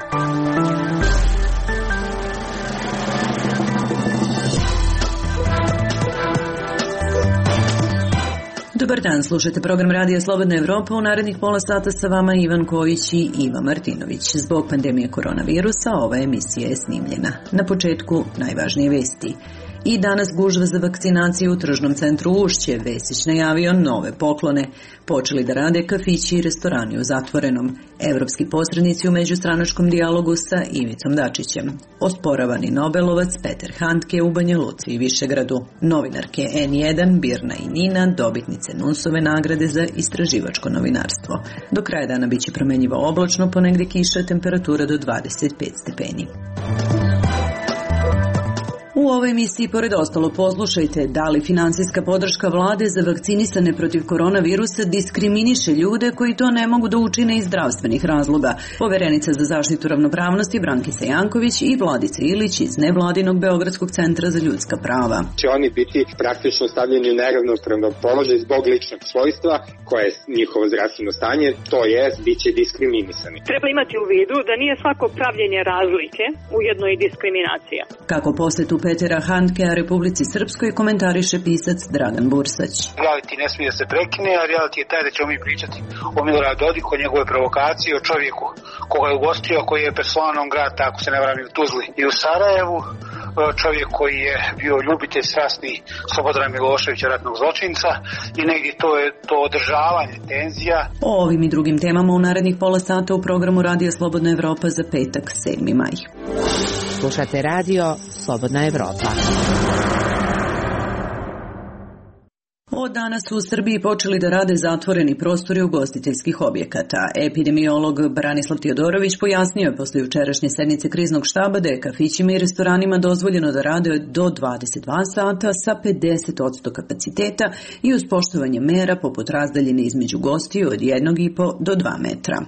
Dobar dan, slušajte program Radija Slobodna Evropa. U narednih pola sata sa vama Ivan Kojić i Iva Martinović. Zbog pandemije koronavirusa ova emisija je snimljena. Na početku najvažnije vesti. I danas gužva za vakcinaciju u tržnom centru Ušće. Vesić najavio nove poklone. Počeli da rade kafići i restorani u zatvorenom. Evropski posrednici u međustranačkom dijalogu sa Ivicom Dačićem. Osporavani Nobelovac Peter Handke u Banja Luci i Višegradu. Novinarke N1, Birna i Nina, dobitnice NUNS-ove nagrade za istraživačko novinarstvo. Do kraja dana biće promenljivo oblačno, ponegde kiša, temperatura do 25 stepeni. U ovoj emisiji, pored ostalo, poslušajte da li finansijska podrška vlade za vakcinisane protiv koronavirusa diskriminiše ljude koji to ne mogu da učine iz zdravstvenih razloga. Poverenica za zaštitu ravnopravnosti Brankica Janković i Vladica Ilić iz nevladinog Beogradskog centra za ljudska prava. Će oni biti praktično stavljeni u neravnopravan položaj zbog ličnog svojstva koje je njihovo zdravstveno stanje, to jest bit će diskriminisani. Treba imati u vidu da nije svako pravljenje razlike ujedno i diskriminacija. Kako posetu Petera Handkea Republici Srpskoj komentariše pisac Dragan Bursać. Reality ne smije da se prekine, a reality je taj da ćemo mi pričati o Miloradu Dodiku, o njegove provokacije, o čovjeku koga je ugostio, koji je persona non grata, ako se ne varam, i u Tuzli i u Sarajevu, čovjek koji je bio ljubitelj strasni Slobodana Miloševića, ratnog zločinca, i negdje to je to održavanje tenzija. O ovim i drugim temama u narednih pola sata u programu Radija Slobodna Evropa za petak 7. maj. Slušate radio Slobodna Evropa. Od danas su u Srbiji počeli da rade zatvoreni prostori ugostiteljskih objekata. Epidemiolog Branislav Teodorović pojasnio je posle jučerašnje sednice kriznog štaba da je kafićima i restoranima dozvoljeno da rade do 22 sata sa 50% kapaciteta i uz poštovanje mera poput razdaljine između gostiju od 1,5 do 2 metra.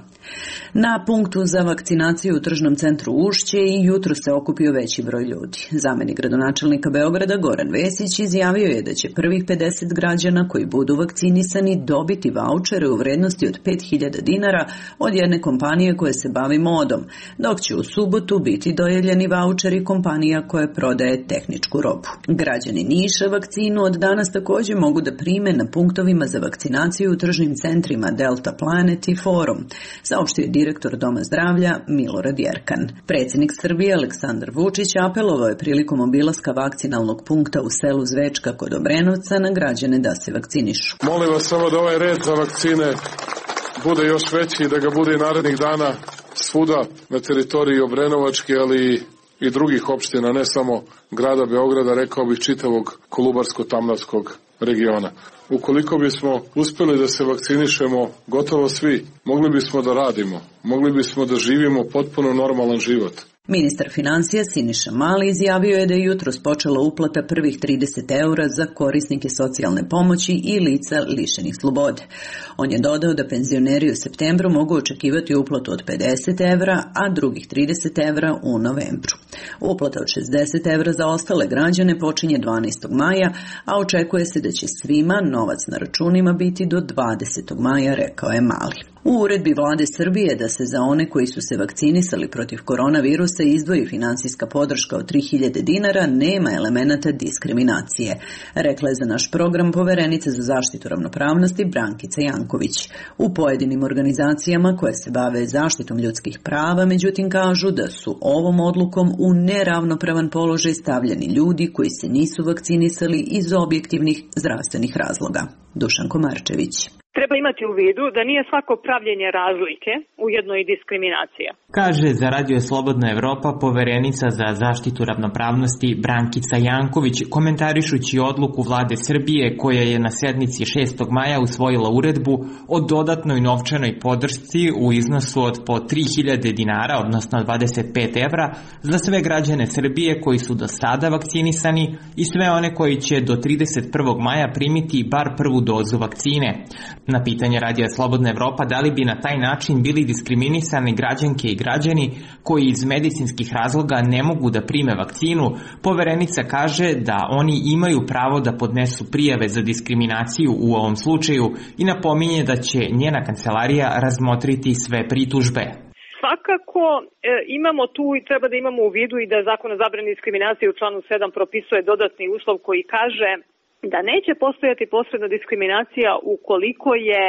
Na punktu za vakcinaciju u tržnom centru Ušće i jutro se okupio veći broj ljudi. Zamenik gradonačelnika Beograda Goran Vesić izjavio je da će prvih 50 građana koji budu vakcinisani dobiti vaučere u vrednosti od 5.000 dinara od jedne kompanije koja se bavi modom, dok će u subotu biti dodeljeni vaučeri kompanija koja prodaje tehničku robu. Građani Niša vakcinu od danas također mogu da prime na punktovima za vakcinaciju u tržnim centrima Delta Planet i Forum, saopštio je direktor Doma zdravlja Milorad Jerkan. Predsjednik Srbije Aleksandar Vučić apelovao je prilikom obilaska vakcinalnog punkta u selu Zvečka kod Obrenovca na građane da se vakcinišu. Molim vas samo da ovaj red za vakcine bude još veći i da ga bude i narednih dana svuda na teritoriji Obrenovačke, ali i drugih opština, ne samo grada Beograda, rekao bih čitavog Kolubarsko-Tamnavskog regiona. Ukoliko bismo uspjeli da se vakcinišemo gotovo svi, mogli bismo da radimo, mogli bismo da živimo potpuno normalan život. Ministar financija Siniša Mali izjavio je da je jutros počela uplata prvih 30 eura za korisnike socijalne pomoći i lica lišenih slobode. On je dodao da penzioneri u septembru mogu očekivati uplatu od 50 evra, a drugih 30 evra u novembru. Uplata od 60 evra za ostale građane počinje 12. maja, a očekuje se da će svima novac na računima biti do 20. maja, rekao je Mali. U uredbi vlade Srbije da se za one koji su se vakcinisali protiv koronavirusa izdvoji finansijska podrška od 3.000 dinara, nema elemenata diskriminacije, rekla je za naš program poverenica za zaštitu ravnopravnosti Brankica Janković. U pojedinim organizacijama koje se bave zaštitom ljudskih prava, međutim, kažu da su ovom odlukom u neravnopravan položaj stavljeni ljudi koji se nisu vakcinisali iz objektivnih zdravstvenih razloga. Dušan Komarčević. Treba imati u vidu da nije svako pravljenje razlike ujedno i diskriminacija. Kaže za Radio Slobodna Evropa poverenica za zaštitu ravnopravnosti Brankica Janković, komentarišući odluku vlade Srbije koja je na sednici 6. maja usvojila uredbu o dodatnoj novčanoj podršci u iznosu od po 3.000 dinara, odnosno 25 evra, za sve građane Srbije koji su do sada vakcinisani i sve one koji će do 31. maja primiti bar prvu dozu vakcine. Na pitanje Radija Slobodna Evropa da li bi na taj način bili diskriminisani građanke i građani koji iz medicinskih razloga ne mogu da prime vakcinu, poverenica kaže da oni imaju pravo da podnesu prijave za diskriminaciju u ovom slučaju i napominje da će njena kancelarija razmotriti sve pritužbe. Svakako imamo tu i treba da imamo u vidu i da Zakon o zabrani diskriminacije u članu 7 propisuje dodatni uslov koji kaže da neće postojati posredna diskriminacija ukoliko je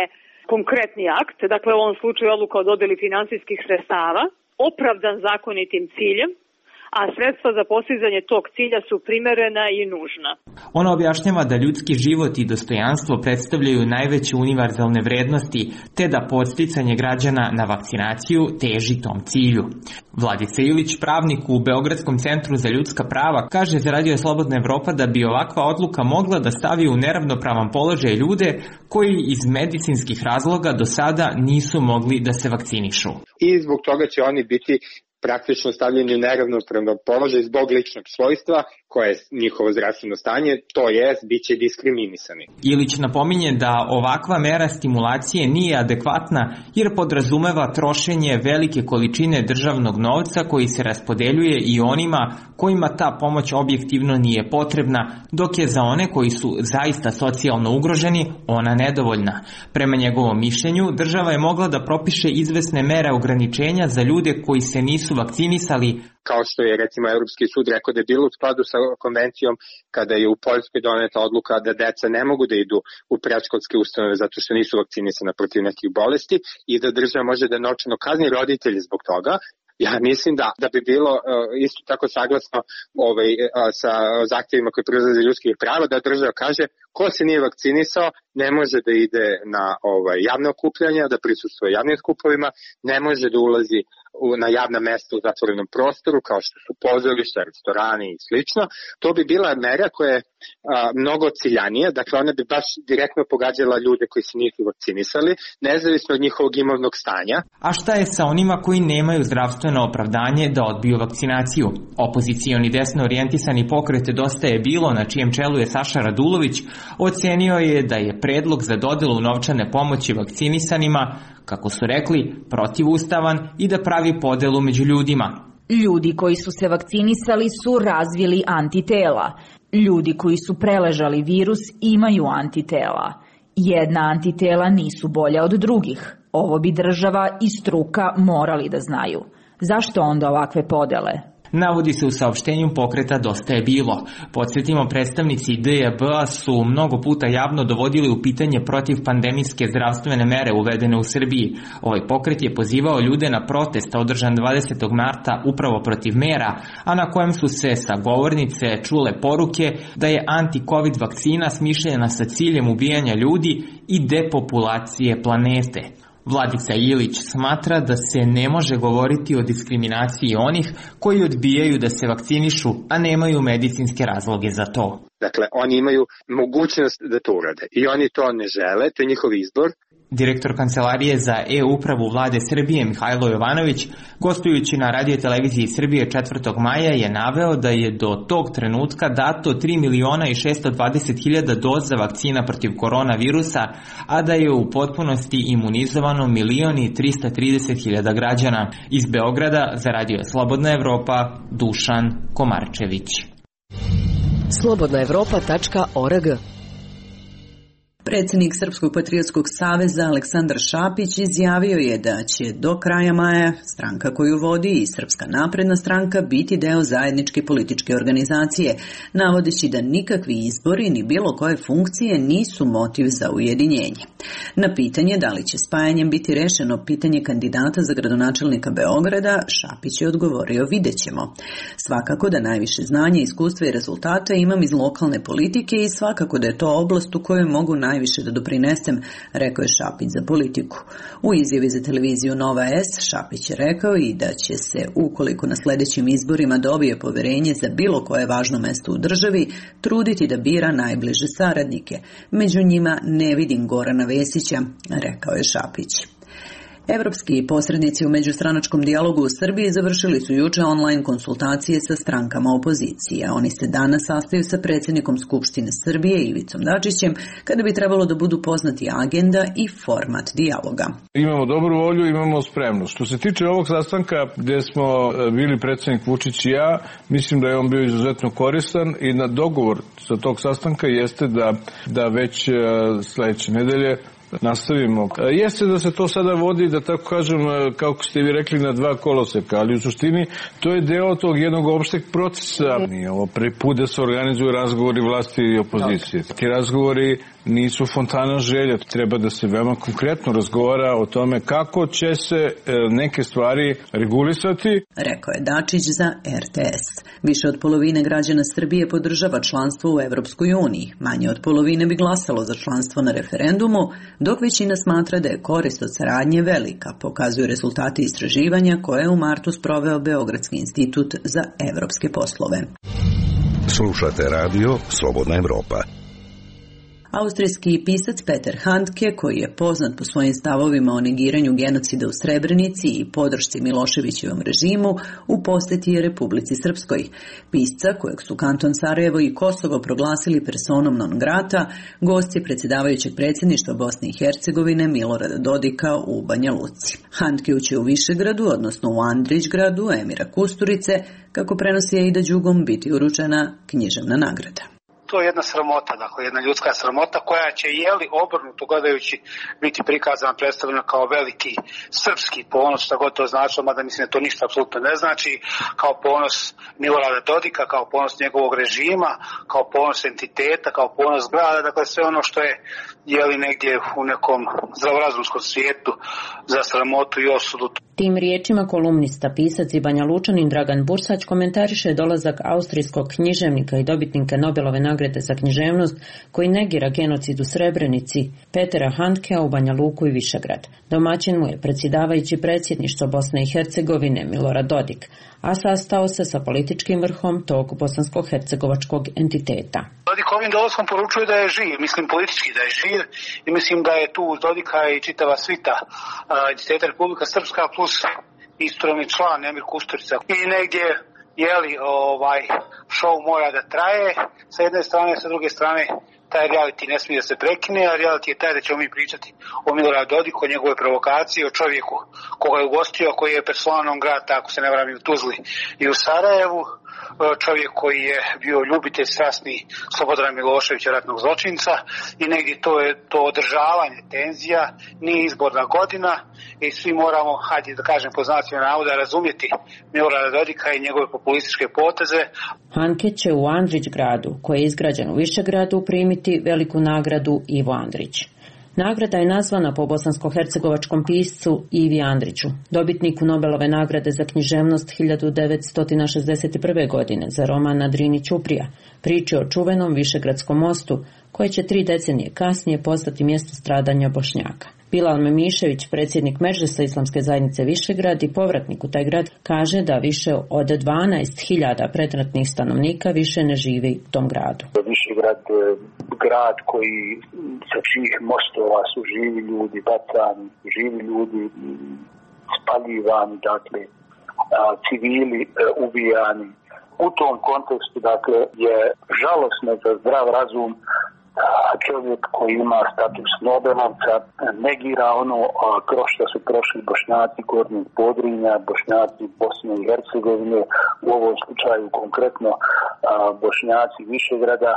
konkretni akt, dakle u ovom slučaju odluka o dodeli finansijskih sredstava, opravdan zakonitim ciljem, a sredstva za postizanje tog cilja su primerena i nužna. Ona objašnjava da ljudski život i dostojanstvo predstavljaju najveće univerzalne vrednosti, te da podsticanje građana na vakcinaciju teži tom cilju. Vladica Ilić, pravnik u Beogradskom centru za ljudska prava, kaže za Radio Slobodna Evropa da bi ovakva odluka mogla da stavi u neravnopravan položaj ljude koji iz medicinskih razloga do sada nisu mogli da se vakcinišu. I zbog toga će oni biti praktično stavljeni u neravnopravan položaj zbog ličnog svojstva koje je njihovo zdravstveno stanje, to jest bit će diskriminisani. Ilić napominje da ovakva mera stimulacije nije adekvatna jer podrazumeva trošenje velike količine državnog novca koji se raspodeljuje i onima kojima ta pomoć objektivno nije potrebna, dok je za one koji su zaista socijalno ugroženi ona nedovoljna. Prema njegovom mišljenju, država je mogla da propiše izvesne mere ograničenja za ljude koji se nisu vakcinisali, kao što je recimo Evropski sud rekao da je bilo u skladu sa konvencijom kada je u Poljskoj doneta odluka da deca ne mogu da idu u predškolske ustanove zato što nisu vakcinisana protiv nekih bolesti i da država može da novčano kazni roditelje zbog toga. Ja mislim da bi bilo isto tako saglasno sa zahtjevima koji proizlaze ljudskih prava da država kaže ko se nije vakcinisao ne može da ide na javne okupljanja, da prisustvuje javnim skupovima, ne može da ulazi na javna mesta u zatvorenom prostoru kao što su pozorišta, restorani i slično. To bi bila mera koja je mnogo ciljanija, dakle ona bi baš direktno pogađala ljude koji se nisu vakcinisali, nezavisno od njihovog imovnog stanja. A šta je sa onima koji nemaju zdravstveno opravdanje da odbiju vakcinaciju? Opozicioni desno orijentisani pokret Dosta je bilo, na čijem čelu je Saša Radulović, ocenio je da je predlog za dodelu novčane pomoći vakcinisanima, kako su rekli, protivustavan i da pravi podelu među ljudima. Ljudi koji su se vakcinisali su razvili antitela. Ljudi koji su preležali virus imaju antitela. Jedna antitela nisu bolja od drugih. Ovo bi država i struka morali da znaju. Zašto onda ovakve podele? Navodi se u saopštenju pokreta Dosta je bilo. Podsjetimo, predstavnici DJB-a su mnogo puta javno dovodili u pitanje protiv pandemijske zdravstvene mere uvedene u Srbiji. Ovaj pokret je pozivao ljude na protest održan 20. marta upravo protiv mera, a na kojem su se sa govornice čule poruke da je anti-covid vakcina smišljena sa ciljem ubijanja ljudi i depopulacije planete. Vladica Ilić smatra da se ne može govoriti o diskriminaciji onih koji odbijaju da se vakcinišu, a nemaju medicinske razloge za to. Dakle, oni imaju mogućnost da to urade i oni to ne žele, to je njihov izbor. Direktor Kancelarije za e-upravu Vlade Srbije Mihajlo Jovanović, gostujući na Radio Televiziji Srbije 4. maja, je naveo da je do tog trenutka dato 3.620.000 doza vakcina protiv koronavirusa, a da je u potpunosti imunizovano 1.330.000 građana. Iz Beograda za Radio Slobodna Evropa, Dušan Komarčević. slobodnaevropa.org. Predsjednik Srpskog patriotskog saveza Aleksandar Šapić izjavio je da će do kraja maja stranka koju vodi i Srpska napredna stranka biti deo zajedničke političke organizacije, navodeći da nikakvi izbori ni bilo koje funkcije nisu motiv za ujedinjenje. Na pitanje da li će spajanjem biti rešeno pitanje kandidata za gradonačelnika Beograda, Šapić je odgovorio: vidjet ćemo. Svakako da najviše znanja, iskustva i rezultata imam iz lokalne politike i svakako da je to oblast u kojoj mogu najviše da doprinesem, rekao je Šapić za Politiku. U izjavi za televiziju Nova S, Šapić je rekao i da će se, ukoliko na sljedećim izborima dobije poverenje za bilo koje važno mesto u državi, truditi da bira najbliže saradnike. Među njima ne vidim Gorana Vesića, rekao je Šapić. Evropski posrednici u međustranačkom dijalogu u Srbiji završili su juče online konsultacije sa strankama opozicije. Oni se danas sastaju sa predsjednikom Skupštine Srbije Ivicom Dačićem, kada bi trebalo da budu poznati agenda i format dijaloga. Imamo dobru volju, imamo spremnost. Što se tiče ovog sastanka gdje smo bili predsjednik Vučić i ja, mislim da je on bio izuzetno koristan i na dogovor sa tog sastanka jeste da već sljedeće nedelje nastavimo. Jeste da se to sada vodi, da tako kažem, kako ste vi rekli, na dva koloseka, ali u suštini to je deo tog jednog opšteg procesa. Nije ovo prvi put da se organizuju razgovori vlasti i opozicije. Ti razgovori nisu fontana želja, treba da se veoma konkretno razgovara o tome kako će se neke stvari regulisati. Rekao je Dačić za RTS. Više od polovine građana Srbije podržava članstvo u Evropskoj uniji. Manje od polovine bi glasalo za članstvo na referendumu, dok većina smatra da je korist od saradnje velika, pokazuju rezultati istraživanja koje je u martu sproveo Beogradski institut za evropske poslove. Slušate radio Slobodna Evropa. Austrijski pisac Peter Handke, koji je poznat po svojim stavovima o negiranju genocida u Srebrenici i podršci Miloševićevom režimu, u poseti je Republici Srpskoj. Pisca, kojeg su kanton Sarajevo i Kosovo proglasili personom non grata, gost je predsjedavajućeg predsjedništva Bosne i Hercegovine Milorada Dodika u Banja Luci. Handke će u Višegradu, odnosno u Andrićgradu, Emira Kusturice, kako prenosi Aida Đugom, biti uručena književna nagrada. To je jedna sramota, dakle jedna ljudska sramota koja će obrnuto gledajući biti prikazana, predstavljena kao veliki srpski ponos, šta god to značilo, mada mislim da to ništa apsolutno ne znači, kao ponos Milorada Dodika, kao ponos njegovog režima, kao ponos entiteta, kao ponos grada, dakle sve ono što je negdje u nekom zdravorazumskom svijetu za sramotu i osudu. Tim riječima kolumnista, pisac i Banjalučanin Dragan Bursać komentariše dolazak austrijskog književnika i dobitnika Nobelove nagrade za književnost koji negira genocid u Srebrenici Petera Handkea u Banja Luku i Višegrad. Domaćin mu je predsjedavajući predsjedništvo Bosne i Hercegovine Milorad Dodik, a sastao se sa političkim vrhom tog bosansko-hercegovačkog entiteta. Dodik ovim dolaskom poručuje da je živ, mislim politički da je živ i mislim da je tu uz Dodika i čitava svita entiteta Republika Srpska plus isturovni član Emir Kusturica. I negdje show mora da traje sa jedne strane, sa druge strane taj reality ne smije da se prekine, a reality je taj da ćemo mi pričati o Miloradu Dodiku, o njegove provokacije, o čovjeku koga je ugostio, koji je persona non grata, ako se ne varam, i u Tuzli i u Sarajevu, čovjek koji je bio ljubitelj strasni Slobodana Miloševića, ratnog zločinca, i negdje to je to održavanje tenzija, nije izborna godina i svi moramo, hajde da kažem po znacima navoda, razumjeti Milorada Dodika i njegove populističke poteze. Handke će u Andrićgradu, koji je izgrađen u Višegradu, primiti veliku nagradu Ivo Andrić. Nagrada je nazvana po bosansko-hercegovačkom piscu Ivi Andriću, dobitniku Nobelove nagrade za književnost 1961. godine za roman Na Drini ćuprija, priče o čuvenom Višegradskom mostu, koje će 3 decenije kasnije postati mjesto stradanja Bošnjaka. Bilal Memišević, predsjednik Medžlisa Islamske zajednice Višegrad i povratnik u taj grad, kaže da više od 12.000 predratnih stanovnika više ne živi u tom gradu. Višegrad, grad koji sa čijih mostova su živi ljudi bacani, živi ljudi spaljivani, dakle civili ubijani. U tom kontekstu, dakle, je žalosno za zdrav razum čovjek koji ima status Nobelovca negira ono kroz što su prošli Bošnjaci Gornjeg Podrinja, Bošnjaci Bosne i Hercegovine, u ovom slučaju konkretno Bošnjaci Višegrada.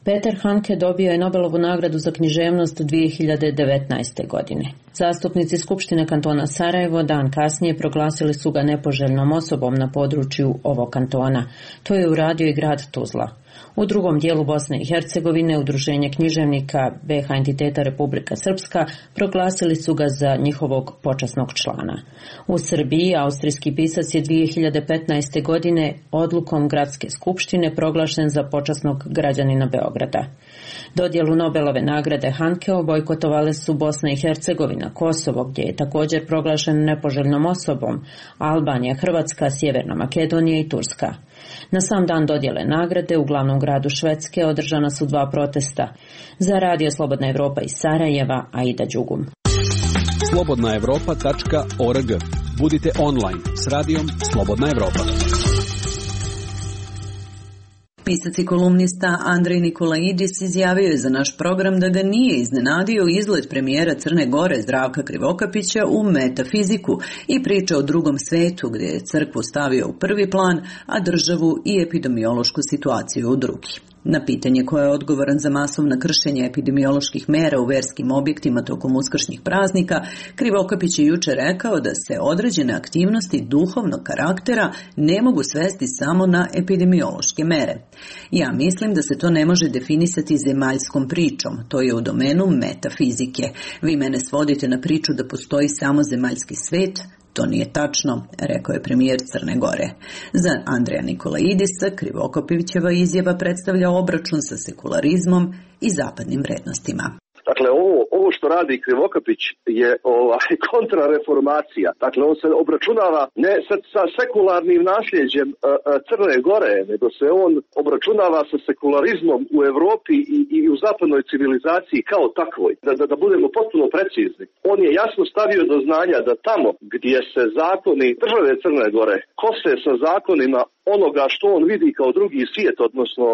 Peter Handke dobio je Nobelovu nagradu za književnost 2019. godine. Zastupnici Skupštine kantona Sarajevo dan kasnije proglasili su ga nepoželjnom osobom na području ovog kantona. To je uradio i grad Tuzla. U drugom dijelu Bosne i Hercegovine Udruženje književnika BiH entiteta Republika Srpska proglasili su ga za njihovog počasnog člana. U Srbiji austrijski pisac je 2015. godine odlukom Gradske skupštine proglašen za počasnog građanina Beograda. Dodjelu Nobelove nagrade Handkeu bojkotovale su Bosna i Hercegovina, Kosovo, gdje je također proglašen nepoželjnom osobom, Albanija, Hrvatska, Sjeverna Makedonija i Turska. Na sam dan dodjele nagrade u glavnom gradu Švedske održana su 2 protesta. Za Radio Slobodna Evropa iz Sarajeva, Aida Đugum. slobodnaevropa.org. Budite online s radijom Slobodna Evropa. Pisac i kolumnista Andrej Nikolaidis izjavio je za naš program da ga nije iznenadio izlet premijera Crne Gore Zdravka Krivokapića u metafiziku i priča o drugom svetu gdje je crkvu stavio u prvi plan, a državu i epidemiološku situaciju u drugi. Na pitanje ko je odgovoran za masovna kršenja epidemioloških mera u verskim objektima tokom uskršnjih praznika, Krivokapić je juče rekao da se određene aktivnosti duhovnog karaktera ne mogu svesti samo na epidemiološke mere. Ja mislim da se to ne može definisati zemaljskom pričom, to je u domenu metafizike. Vi mene svodite na priču da postoji samo zemaljski svet. To nije tačno, rekao je premijer Crne Gore. Za Andreja Nikolaidisa Krivokapićeva izjava predstavlja obračun sa sekularizmom i zapadnim vrednostima. Dakle, ovo što radi Krivokapić je kontrareformacija. Dakle, on se obračunava ne sa sekularnim nasljeđem Crne Gore, nego se on obračunava sa sekularizmom u Evropi i u zapadnoj civilizaciji kao takvoj. Da budemo potpuno precizni. On je jasno stavio do znanja da tamo gdje se zakoni države Crne Gore kose sa zakonima onoga što on vidi kao drugi svijet, odnosno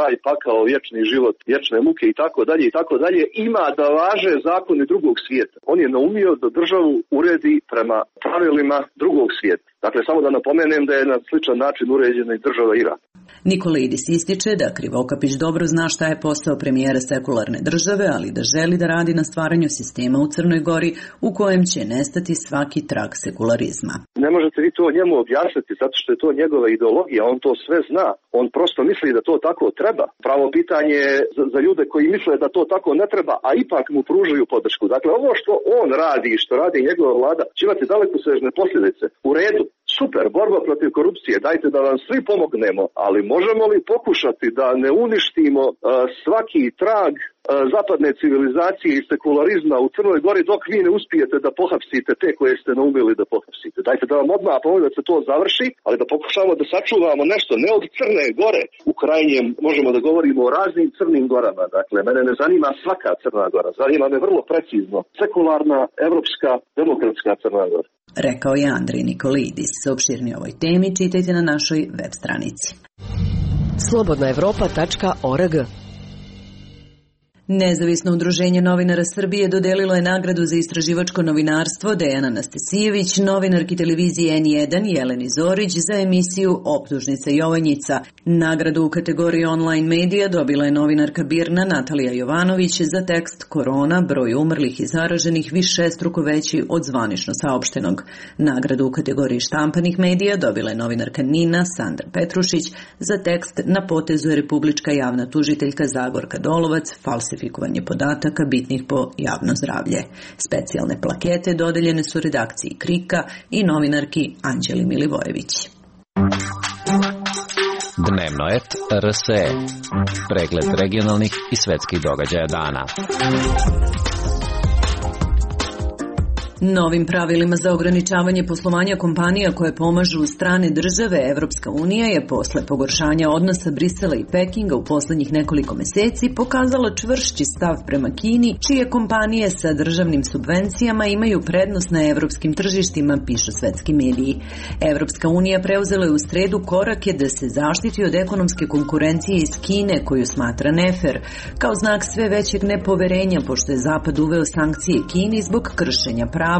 raj, pakao, vječni život, vječne muke i tako dalje, ima da važe zakoni drugog svijeta. On je naumio da državu uredi prema pravilima drugog svijeta. Dakle, samo da napomenem da je na sličan način uređena i država Iran. Nikolaidis ističe da Krivokapić dobro zna šta je posao premijera sekularne države, ali da želi da radi na stvaranju sistema u Crnoj Gori u kojem će nestati svaki trag sekularizma. Ne možete vi to njemu objasniti zato što je to njegova ideologija, on to sve zna. On prosto misli da to tako treba. Pravo pitanje je za ljude koji misle da to tako ne treba, a ipak mu pružaju podršku. Dakle, ovo što on radi i što radi njegova vlada će imati dalekosežne posljedice. U redu. Super, borba protiv korupcije, dajte da vam svi pomognemo, ali možemo li pokušati da ne uništimo svaki trag zapadne civilizacije i sekularizma u Crnoj Gori dok vi ne uspijete da pohapsite te koje ste naumili da pohapsite. Dajte da vam odmah pomoći da se to završi, ali da pokušamo da sačuvamo nešto, ne od Crne Gore. U krajnjem možemo da govorimo o raznim crnim gorama. Dakle, mene ne zanima svaka Crna Gora, zanima me vrlo precizno sekularna, evropska, demokratska Crna Gora. Rekao je Andrej Nikolaidis. Opširnije o ovoj temi čitajte na našoj web stranici. slobodnaevropa.org. Nezavisno udruženje novinara Srbije dodelilo je nagradu za istraživačko novinarstvo Dejana Nastasijević, novinarki televizije N1 Jeleni Zorić za emisiju Optužnica Jovanjica. Nagradu u kategoriji online medija dobila je novinarka BIRN-a Natalija Jovanović za tekst Korona, broj umrlih i zaraženih višestruko veći od zvanično saopštenog. Nagradu u kategoriji štampanih medija dobila je novinarka NIN-a Sandra Petrušić za tekst Na potezu je republička javna tužiteljka Zagorka Dolovac, falsifikovanje podataka bitnih po javno zdravlje. Specijalne plakete dodeljene su redakciji Krika i novinarki Anđeli Milivojević. Dnevno et RSE. Pregled regionalnih i svetskih događaja dana. Novim pravilima za ograničavanje poslovanja kompanija koje pomažu strane države, Evropska unija je posle pogoršanja odnosa Brisela i Pekinga u poslednjih nekoliko meseci pokazala čvršći stav prema Kini, čije kompanije sa državnim subvencijama imaju prednost na evropskim tržištima, pišu svetski mediji. Evropska unija preuzela je u sredu korake da se zaštiti od ekonomske konkurencije iz Kine, koju smatra nefer, kao znak sve većeg nepoverenja, pošto je Zapad uveo sankcije Kini zbog kršenja prava,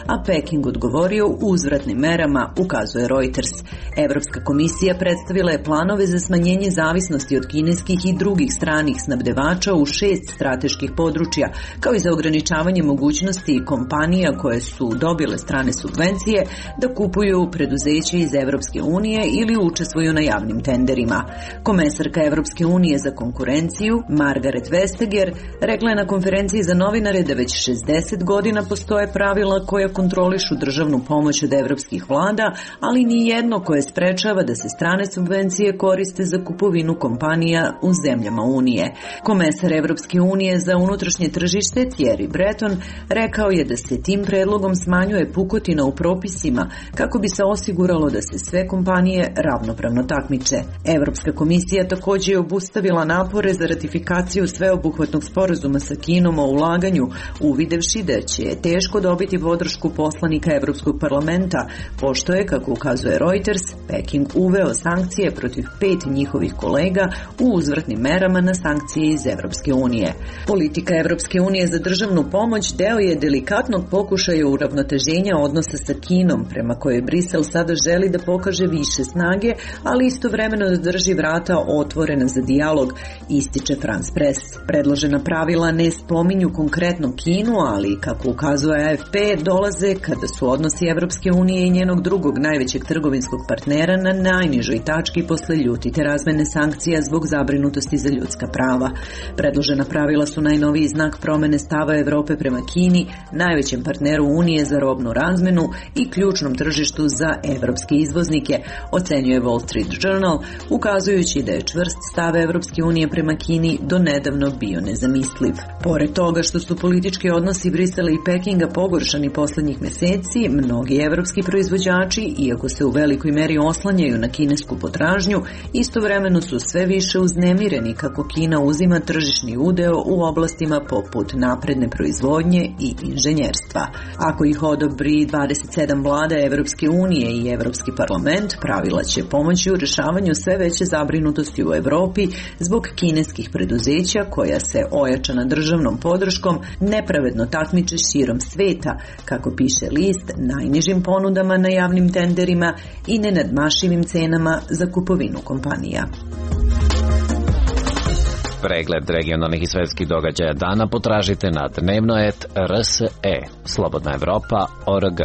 a Peking odgovorio uzvratnim merama, ukazuje Reuters. Evropska komisija predstavila je planove za smanjenje zavisnosti od kineskih i drugih stranih snabdevača u 6 strateških područja, kao i za ograničavanje mogućnosti kompanija koje su dobile strane subvencije da kupuju preduzeće iz Evropske unije ili učestvuju na javnim tenderima. Komesarka Evropske unije za konkurenciju, Margaret Vestager, rekla je na konferenciji za novinare da već 60 godina postoje pravila koja kontrolišu državnu pomoć od evropskih vlada, ali ni jedno koje sprečava da se strane subvencije koriste za kupovinu kompanija u zemljama Unije. Komesar Evropske unije za unutrašnje tržište Thierry Breton rekao je da se tim predlogom smanjuje pukotina u propisima kako bi se osiguralo da se sve kompanije ravnopravno takmiče. Evropska komisija također je obustavila napore za ratifikaciju sveobuhvatnog sporazuma sa Kinom o ulaganju, uvidevši da će teško dobiti dobiti podršku poslanika Evropskog parlamenta, pošto je, kako ukazuje Reuters, Peking uveo sankcije protiv 5 njihovih kolega u uzvratnim merama na sankcije iz Evropske unije. Politika Evropske unije za državnu pomoć deo je delikatnog pokušaja uravnoteženja odnosa sa Kinom, prema kojoj Brisel sada želi da pokaže više snage, ali istovremeno da drži vrata otvorena za dijalog, ističe France Press. Predložena pravila ne spominju konkretno Kinu, ali, kako ukazuje AFP, dolaze kada su odnosi Evropske unije i njenog drugog najvećeg trgovinskog partnera na najnižoj tački posle ljutite razmene sankcija zbog zabrinutosti za ljudska prava. Predložena pravila su najnoviji znak promene stava Evrope prema Kini, najvećem partneru Unije za robnu razmenu i ključnom tržištu za evropske izvoznike, ocenjuje Wall Street Journal, ukazujući da je čvrst stav Evropske unije prema Kini do nedavno bio nezamisliv. Pored toga što su politički odnosi Brisela i Pekinga pogoršani poslednjih meseci, mnogi evropski proizvođači, iako se u velikoj meri oslanjaju na kinesku potražnju, istovremeno su sve više uznemireni kako Kina uzima tržišni udeo u oblastima poput napredne proizvodnje i inženjerstva. Ako ih odobri 27 vlada Evropske unije i Evropski parlament, pravila će pomoći u rešavanju sve veće zabrinutosti u Evropi zbog kineskih preduzeća koja se ojačana državnom podrškom nepravedno takmiče širom sveta, kako piše list, najnižim ponudama na javnim tenderima i nenadmašivim cenama za kupovinu kompanija. Pregled regionalnih i svetskih događaja dana potražite na dnevno.rs.e. Slobodna Evropa.org.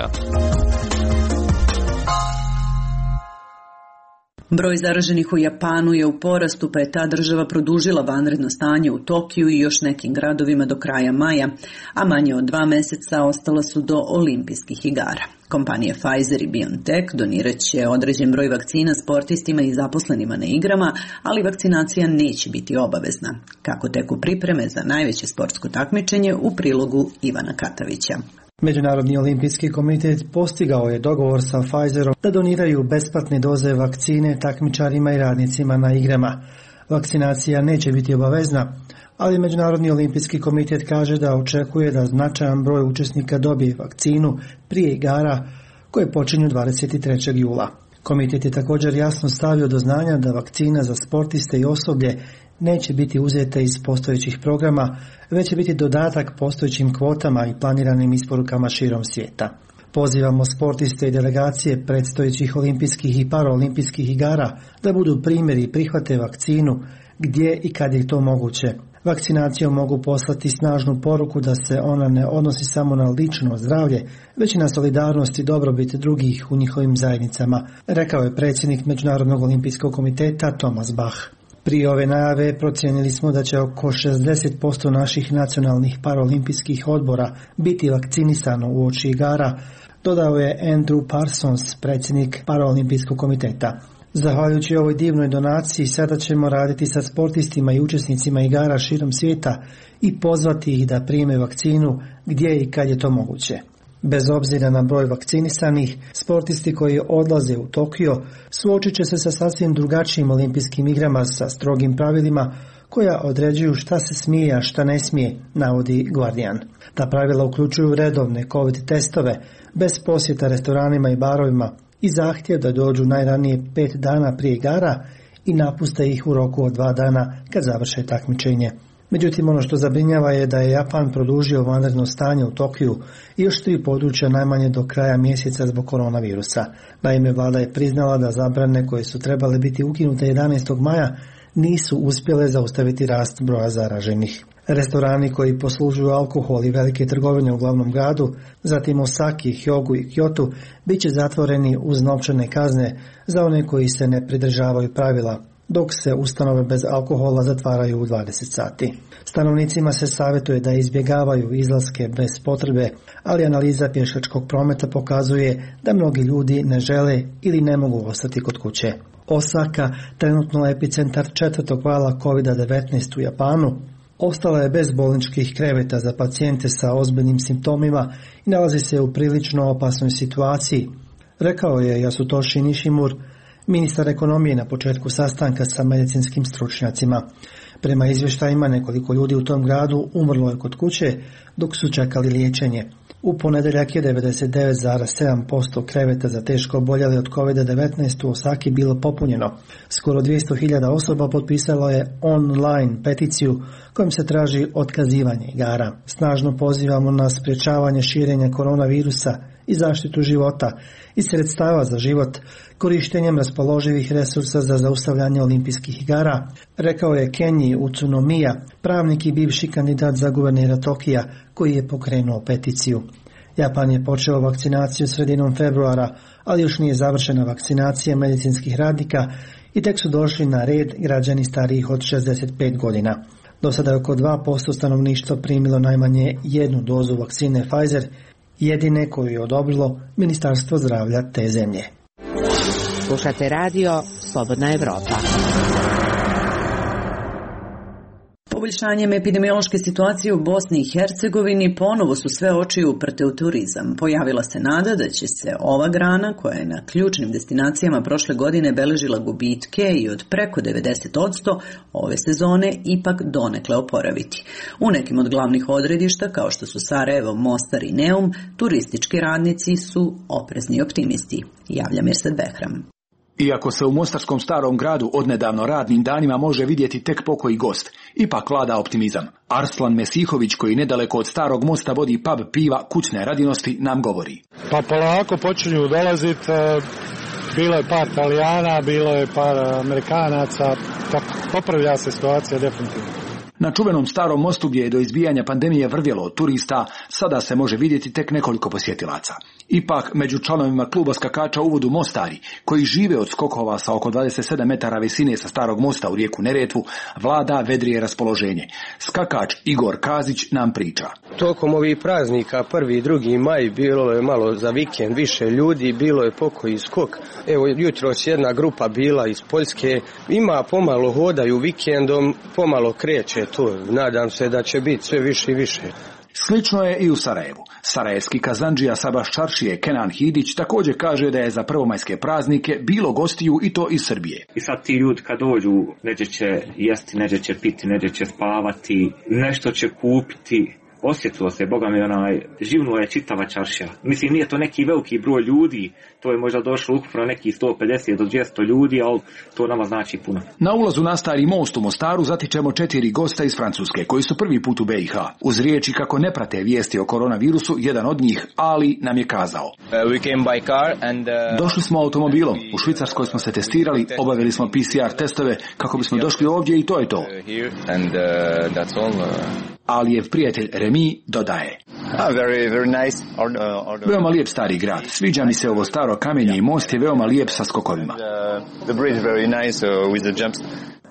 Broj zaraženih u Japanu je u porastu, pa je ta država produžila vanredno stanje u Tokiju i još nekim gradovima do kraja maja, a manje od 2 meseca ostala su do olimpijskih igara. Kompanije Pfizer i BioNTech donirat će određen broj vakcina sportistima i zaposlenima na igrama, ali vakcinacija neće biti obavezna. Kako teku pripreme za najveće sportsko takmičenje, u prilogu Ivana Katavića. Međunarodni olimpijski komitet postigao je dogovor sa Pfizerom da doniraju besplatne doze vakcine takmičarima i radnicima na igrama. Vakcinacija neće biti obavezna, ali Međunarodni olimpijski komitet kaže da očekuje da značajan broj učesnika dobije vakcinu prije igara koje počinju 23. jula. Komitet je također jasno stavio do znanja da vakcina za sportiste i osoblje neće biti uzete iz postojećih programa, već će biti dodatak postojećim kvotama i planiranim isporukama širom svijeta. Pozivamo sportiste i delegacije predstojećih olimpijskih i paraolimpijskih igara da budu primjeri i prihvate vakcinu gdje i kad je to moguće. Vakcinacijom mogu poslati snažnu poruku da se ona ne odnosi samo na lično zdravlje, već i na solidarnost i dobrobit drugih u njihovim zajednicama, rekao je predsjednik Međunarodnog olimpijskog komiteta Thomas Bach. Prije ove najave procijenili smo da će oko 60% naših nacionalnih paraolimpijskih odbora biti vakcinisano uoči igara, dodao je Andrew Parsons, predsjednik paraolimpijskog komiteta. Zahvaljujući ovoj divnoj donaciji, sada ćemo raditi sa sportistima i učesnicima igara širom svijeta i pozvati ih da prime vakcinu gdje i kad je to moguće. Bez obzira na broj vakcinisanih, sportisti koji odlaze u Tokio suočit će se sa sasvim drugačijim olimpijskim igrama sa strogim pravilima koja određuju šta se smije, a šta ne smije, navodi Guardian. Ta pravila uključuju redovne COVID testove, bez posjeta restoranima i barovima i zahtjev da dođu najranije 5 dana prije igara i napuste ih u roku od 2 dana kad završe takmičenje. Međutim, ono što zabrinjava je da je Japan produžio vanredno stanje u Tokiju i još 3 područja najmanje do kraja mjeseca zbog koronavirusa. Naime, vlada je priznala da zabrane koje su trebale biti ukinute 11. maja nisu uspjele zaustaviti rast broja zaraženih. Restorani koji poslužuju alkohol i velike trgovine u glavnom gradu, zatim Osaki, Hyogu i Kyotu, bit će zatvoreni uz novčane kazne za one koji se ne pridržavaju pravila, dok se ustanove bez alkohola zatvaraju u 20 sati. Stanovnicima se savjetuje da izbjegavaju izlaske bez potrebe, ali analiza pješačkog prometa pokazuje da mnogi ljudi ne žele ili ne mogu ostati kod kuće. Osaka, trenutno epicentar 4. vala COVID-19 u Japanu, ostala je bez bolničkih kreveta za pacijente sa ozbiljnim simptomima i nalazi se u prilično opasnoj situaciji, rekao je Yasutoshi Nishimura, ministar ekonomije, na početku sastanka sa medicinskim stručnjacima. Prema izvještajima, nekoliko ljudi u tom gradu umrlo je kod kuće dok su čekali liječenje. U ponedeljak je 99,7% kreveta za teško oboljele od COVID-19 u Osaki bilo popunjeno. Skoro 200.000 osoba potpisalo je online peticiju kojom se traži otkazivanje igara. Snažno pozivamo na sprječavanje širenja koronavirusa i zaštitu života i sredstava za život korištenjem raspoloživih resursa za zaustavljanje olimpijskih igara, rekao je Kenji Utsunomiya, pravnik i bivši kandidat za guvernera Tokija koji je pokrenuo peticiju. Japan je počeo vakcinaciju sredinom februara, ali još nije završena vakcinacija medicinskih radnika i tek su došli na red građani starijih od 65 godina. Do sada je oko 2% stanovništva primilo najmanje jednu dozu vakcine Pfizer, jedine koju je odobrilo Ministarstvo zdravlja te zemlje. Slušate radio Slobodna Evropa. Poboljšanjem epidemiološke situacije u Bosni i Hercegovini ponovo su sve oči uprte u turizam. Pojavila se nada da će se ova grana, koja je na ključnim destinacijama prošle godine beležila gubitke i od preko 90%, ove sezone ipak donekle oporaviti. U nekim od glavnih odredišta, kao što su Sarajevo, Mostar i Neum, turistički radnici su oprezni optimisti. Javlja Mirsad Behram. Iako se u mostarskom starom gradu odnedavno radnim danima može vidjeti tek pokoji gost, ipak vlada optimizam. Arslan Mesihović, koji nedaleko od starog mosta vodi pub piva Kućne radinosti, nam govori. Pa polako počinju dolaziti, bilo je par Italijana, bilo je par Amerikanaca, tako popravlja se situacija definitivno. Na čuvenom starom mostu gdje je do izbijanja pandemije vrvjelo od turista, sada se može vidjeti tek nekoliko posjetilaca. Ipak, među članovima kluba skakača u vodu Mostari, koji žive od skokova sa oko 27 metara visine sa starog mosta u rijeku Neretvu, vlada vedrije raspoloženje. Skakač Igor Kazić nam priča. Tokom ovih praznika, 1. i 2. maj, bilo je malo za vikend više ljudi, bilo je pokoji skok. Evo, jutros jedna grupa bila iz Poljske, ima pomalo hodaju vikendom, pomalo kreće to. Nadam se da će biti sve više i više. Slično je i u Sarajevu. Sarajevski kazandžija Sabaš Čaršije Kenan Hidić također kaže da je za prvomajske praznike bilo gostiju i to iz Srbije. I sad ti ljudi kad dođu, neđe će jesti, neđe će piti, neđe će spavati, nešto će kupiti. Osjetilo se, Boga mi, živnuo je čitava čaršija. Mislim, nije to neki veliki broj ljudi, to je možda došlo ukupno neki 150 do 200 ljudi, ali to nama znači puno. Na ulazu na stari most u Mostaru zatičemo 4 gosta iz Francuske, koji su prvi put u BiH. Uz riječi kako ne prate vijesti o koronavirusu, jedan od njih, Ali, nam je kazao. Došli smo automobilom, u Švicarskoj smo se testirali, obavili smo PCR testove kako bismo došli ovdje i to je to. Alijev prijatelj Remi dodaje. Veoma lijep stari grad. Sviđa mi se ovo staro kamenje i most je veoma lijep sa skokovima.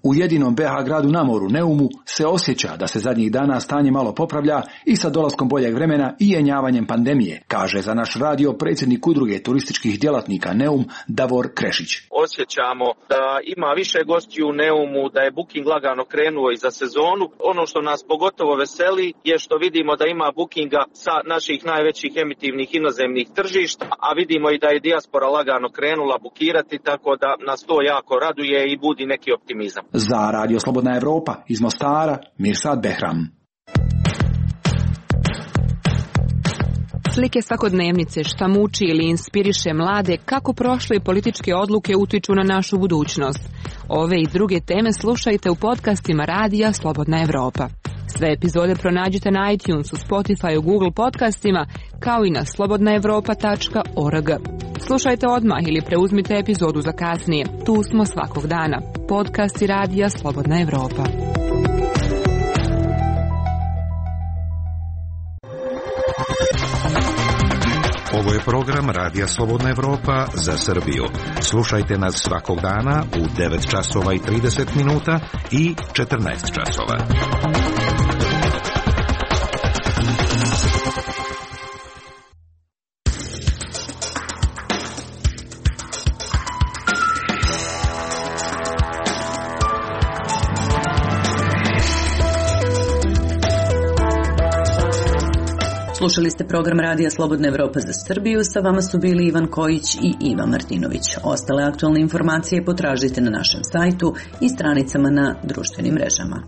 U jedinom BiH gradu na moru, Neumu, se osjeća da se zadnjih dana stanje malo popravlja i sa dolaskom boljeg vremena i jenjavanjem pandemije, kaže za naš radio predsjednik udruge turističkih djelatnika Neum, Davor Krešić. Osjećamo da ima više gostiju u Neumu, da je booking lagano krenuo i za sezonu. Ono što nas pogotovo veseli je što vidimo da ima bookinga sa naših najvećih emitivnih inozemnih tržišta, a vidimo i da je dijaspora lagano krenula bukirati, tako da nas to jako raduje i budi neki optimizam. Za Radio Slobodna Evropa iz Mostara, Mirsad Behram. Slike svakodnevnice, šta muči ili inspiriše mlade, kako prošle političke odluke utiču na našu budućnost. Ove i druge teme slušajte u podcastima Radija Slobodna Evropa. Sve epizode pronađite na iTunesu, Spotifyu, Google podcastima, kao i na slobodnaevropa.org. Slušajte odmah ili preuzmite epizodu za kasnije. Tu smo svakog dana. Podcasti Radija Slobodna Evropa. Ovo je program Radija Slobodna Evropa za Srbiju. Slušajte nas svakog dana u 9 časova i 30 minuta i 14 časova. Slušali ste program Radija Slobodna Evropa za Srbiju, sa vama su bili Ivan Kojić i Iva Martinović. Ostale aktualne informacije potražite na našem sajtu i stranicama na društvenim mrežama.